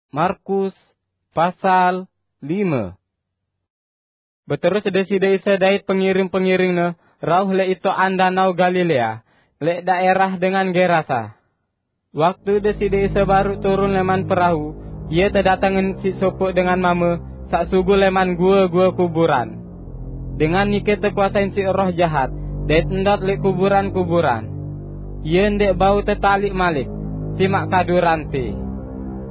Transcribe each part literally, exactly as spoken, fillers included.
Markus pasal lime. Beterus Deside Isa dait pengiring-pengiring-Ne rauh lek itoan Danau Galilea, lek daerah dengan Gerasa. Waktu Deside Isa baru turun leman perahu, Ia tedatengen siq sopoq dengan mame saq sugul leman gue-gue kuburan. Dengan nike tekuasain siq roh jahat, dait ndot lek kuburan-kuburan. Ie ndeq bau tetaliq malik, simaq kadu rante.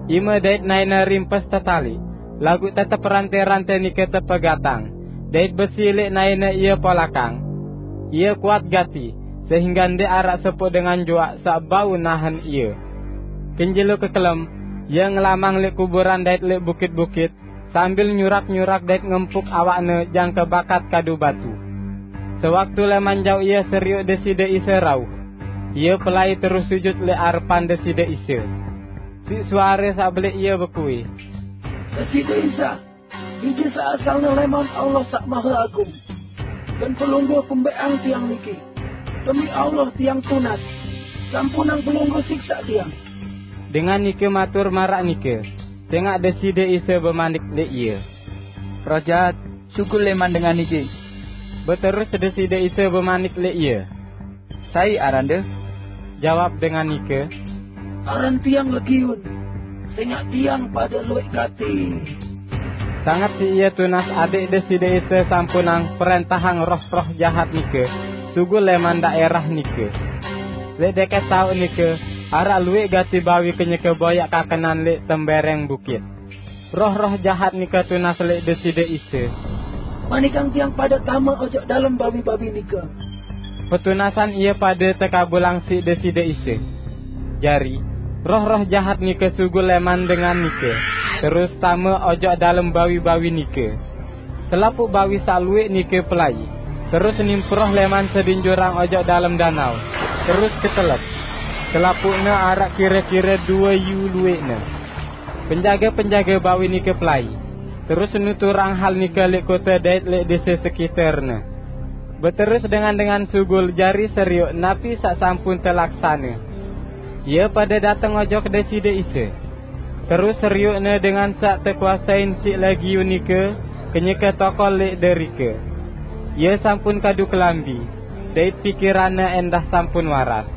Ime dait naene rimpes tetaliq, laguq tetep rante-rante nike tepegatang, dait besi lek naene ie polakang. Ie kuat gati, sehingge ndeq araq sopoq dengan juaq saq bau nahen ie. Kenjelo kekelem, ie ngelamang lek kuburan dait lek bukit-bukit, sambil nyurak-nyurak dait ngempuk awakne jangke bakat kadu batu. Sewaktu leman jauq ie serioq Deside Isa rauh, ie pelai terus sujut lek arepan Deside Isa. Siq suare saq beleq ie bekuih, "Deside Isa, Ije saq asalne leman Allah Saq Mahe Agung, gen Pelungguh pembeqang tiang niki. Demi Allah tiang tunas, sampunang Pelungguh siksaq tiang." Dengan nike matur maraq nike, sengaq Deside Isa bemanik leq ie, "Roh jahat, sugul leman dengan niki." Beterus Deside Isa bemanik leq ie, "Sai arande?" Jawab dengan nike, "Aran tiang Legiun, sengaq tiang pade lueq gati." Sanget siq ie tunas adeq Deside Isa sampunang perentahang roh-roh jahat nike sugul leman daerah nike. Leq deket taoq nike, araq lueq gati bawi kenyeke boyaq kakenan leq tembereng bukit. Roh-roh jahat nike tunas leq Deside Isa, "Manikang tiang pade tame ojok dalem bawi-bawi nike." Petunasan ie pade tekabulang siq Deside Isa. Jari, roh-roh jahat nike sugul leman dengan nike, terus tame ojok dalem bawi-bawi nike. Selapuq bawi saq lueq nike pelai, terus nimproh leman sedin jurang ojok dalem danau, terus ketelep. Selapuqne araq kire-kire due yu lueqne. Penjage-penjage bawi nike pelai, terus nuturang hal nike leq kote dait leq dese sekiterne. Beterus dengan-dengan sugul jari serioq napi saq sampun telaksane. Ie pade dateng ojok Deside Isa. Terus serioqne dengan saq tekuasein siq Legiun nike kenyeke tokol leq derike. Ie sampun kadu kelambi, dait pikiranne endah sampun waras.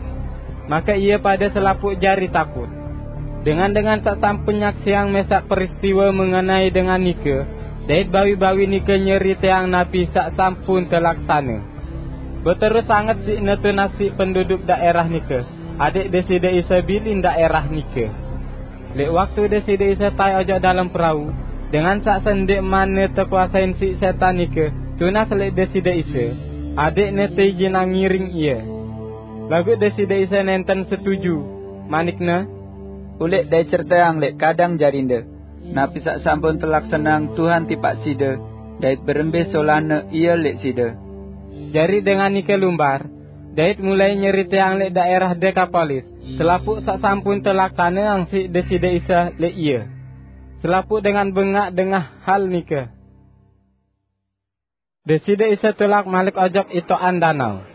Make ie pade selapuq jari takut. Dengan-dengan saq sampun nyaksiang mesaq peristiwe mengenai dengan nike, dait bawi-bawi nike nyeriteang napi saq sampun telaksane. Beterus sanget siqne tunas siq penduduk daerah nike, adeq Deside Isa bilin daerah nike. Leq waktu Deside Isa tae ojok dalem perau, dengan saq sendeqmanne tekuasein siq setan nike tunas leq Deside Isa, adeqne teijinang ngiring Ie. Laguq Deside Isa nenten setuju, manik-Ne, "Uleq dait ceriteang leq kadang jarinde, napi saq sampun telaksaneang Tuhan tipaq side, dait berembe solahne Ie leq side." Jari dengan nike lumbar, dait mulai nyeriteang leq daerah Dekapolis selapuq saq sampun telaksaneang siq Deside Isa leq ie. Selapuq dengan bengaq dengah hal nike. Deside Isa tulak malik ojok itoqan danau.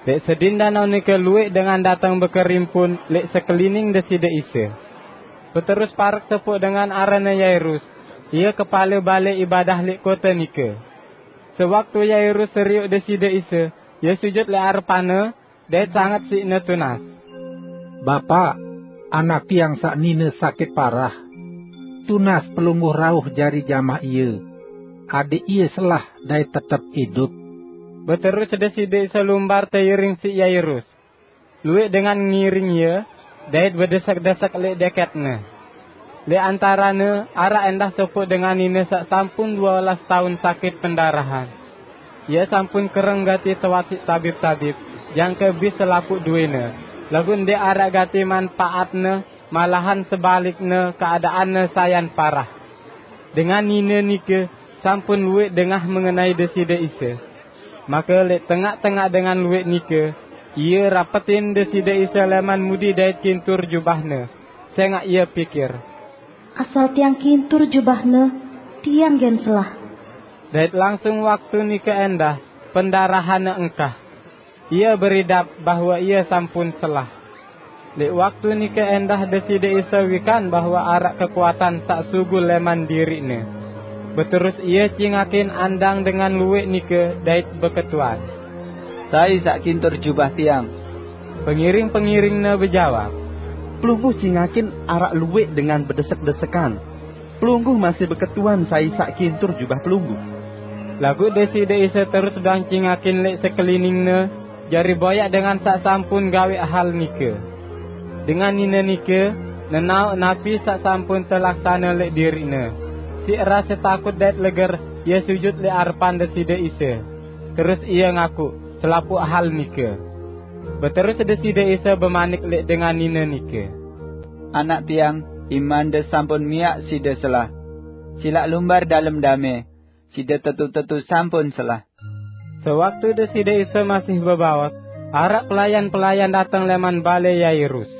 Leq sedin danau nike lueq dengan dateng bekerimpun leq sekelining Deside Isa. Beterus parek sopoq dengan aranne Yairus, ie kepale bale ibadah leq kote nike. Sewaktu Yairus serioq Deside Isa, ie sujut leq arepan-Ne, dait sanget siqne tunas, "Bapa, anak tiang saq nine sakit parah. Tunas Pelungguh rauh jari jamah ie, adeq ie selah dait tetep idup." Beterus Deside Isa lumbar teiring siq Yairus. Lueq dengan ngiring Ie, dait bedesek-desek leq deket-Ne. Leq antarene araq endah sopoq dengan nine saq sampun due olas taun sakit pendarahan. Ie sampun kereng gati tewasiq tabib-tabib, jangke bis selapuq duene, laguq ndeq araq gati manpaatne, malahan sebalikne keadaanne sayan parah. Dengan nine nike sampun lueq dengah mengenai Deside Isa. Make leq tengaq-tengaq dengan lueq nike, ie rapetin Deside Isa leman mudi dait kintur jubah-Ne, sengaq ie pikir, "Asal tiang kintur jubah-Ne, tiang gen selah." Dait langsung waktu nike endah, pendarahanne engkah. Ie beridap bahwe ie sampun selah. Lek waktu nike endah Deside Isa wikan bahwa arak kekuatan sak sugul leman diriqne. Beterus Ia cingakin andang dengan lueq nike dait beketuan, "Sai saq kintur jubah Tiang?" Pengiring-pengiringne bejawab, "Pelungguh cingakin arak lueq dengan bedesek-desekan. Pelungguh masih beketuan sai saq kintur jubah Pelungguh." Laguq Deside Isa terus doang cingakin leq sekeliningne, jari boyaq dengan saq sampun gaweq hal nike. Dengan nine nike nenaoq napi saq sampun telaksane leq diriqne. Siq rase takut dait leger, ie sujut leq arepan Deside Isa, terus ie ngakuq selapuq hal nike. Beterus Deside Isa bemanik leq dengan nine nike, "Anak Tiang, imande sampun miaq side selah. Silaq lumbar dalem dame, side tetu-tetu sampun selah." Sewaktu Deside Isa masih bebaos, araq pelayan-pelayan dateng leman bale Yairus.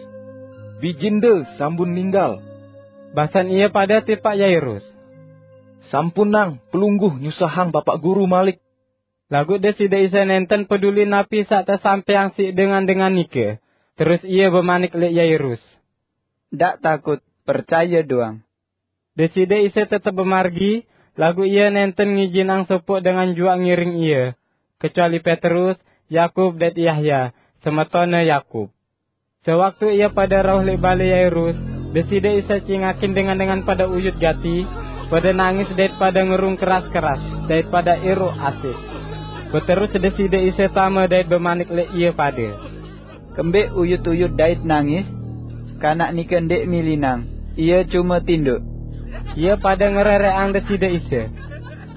"Bijinde sampun ninggal," basen ie pade tipaq Yairus. "Sampunang Pelungguh nyusahang Bapak Guru malik." Laguq Deside Isa nenten peduli napi saq tesampaiang siq dengan-dengan nike. Terus Ie bemanik leq Yairus, "Ndaq takut, percaye doang." Deside Isa tetep bemargi, laguq Ie nenten ngijinang sopoq dengan juaq ngiring Ie, kecuali Petrus, Yakub, dait Yahya, semetonne Yakub. Sewaktu ie pade rauh leq bale Yairus, Deside Isa cingakin dengan-dengan pade uyut gati, pade nangis dait pade ngerung keras-keras, dait pade iruq asik. Beterus Deside Isa tame dait bemanik leq ie pade, "Kembeq uyut-uyut dait nangis? Kanak nike ndeq milinang, ie cume tindoq." Ie pade ngerereqang Deside Isa.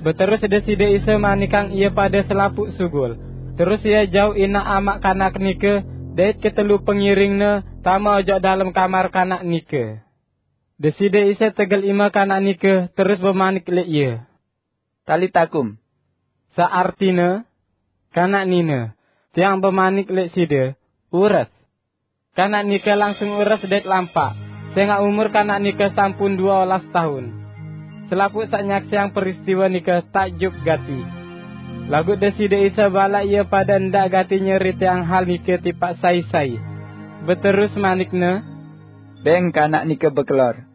Beterus Deside Isa manikang ie pade selapuq sugul. Terus Ie jauq inaq amaq kanak nike dait ketelu pengiring-Ne tame ojok dalem kamar kanak nike. Deside Isa tegel ime kanak nike terus bemanik leq ie, "Talita kum," saq artine, "Kanak nine, Tiang bemanik leq side, ures!" Kanak nike langsung ures dait lampaq, sengaq umur kanak nike sampun due olas taun. Selapuq saq nyaksiang peristiwe nike takjub gati. Laguq Deside Isa balaq ie pade ndaq gati nyeriteang hal nike tipaq sai-sai. Beterus manik-Ne, "Beng kanak nike bekelor."